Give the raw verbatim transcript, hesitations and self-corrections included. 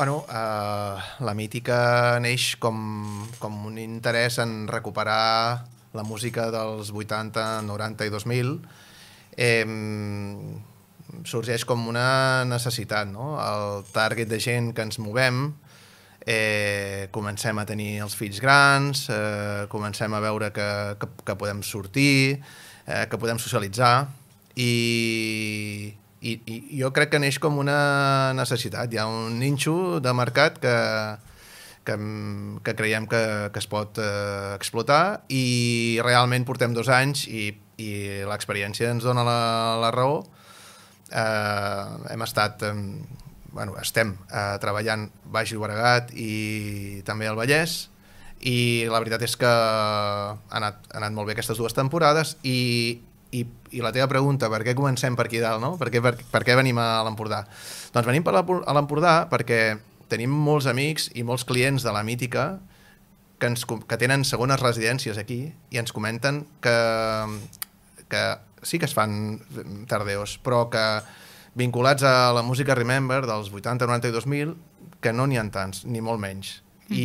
Bueno, eh, la Mítica neix com, com un interès en recuperar la música dels vuitanta, noranta i dos mil. Eh, sorgeix com una necessitat, no? El target de gent que ens movem, eh, comencem a tenir els fills grans, eh, comencem a veure que, que, que podem sortir, eh, que podem socialitzar, i, i, i jo crec que neix com una necessitat. Hi ha un ninxo de mercat que, que, que creiem que, que es pot eh, explotar, i realment portem dos anys i, i l'experiència ens dona la, la raó. Eh, hem estat... Eh, bueno, estem eh, treballant Baix Llobregat i també al Vallès, i la veritat és que ha anat, ha anat molt bé aquestes dues temporades. i, i, i la teva pregunta, per què comencem per aquí dalt, no? Per què, per, per què venim a l'Empordà? Doncs venim per a l'Empordà perquè tenim molts amics i molts clients de la Mítica que, ens, que tenen segones residències aquí i ens comenten que, que sí que es fan tardeos, però que vinculats a la música Remember dels vuitanta, noranta i dos mil, que no n'hi ha tants, ni molt menys.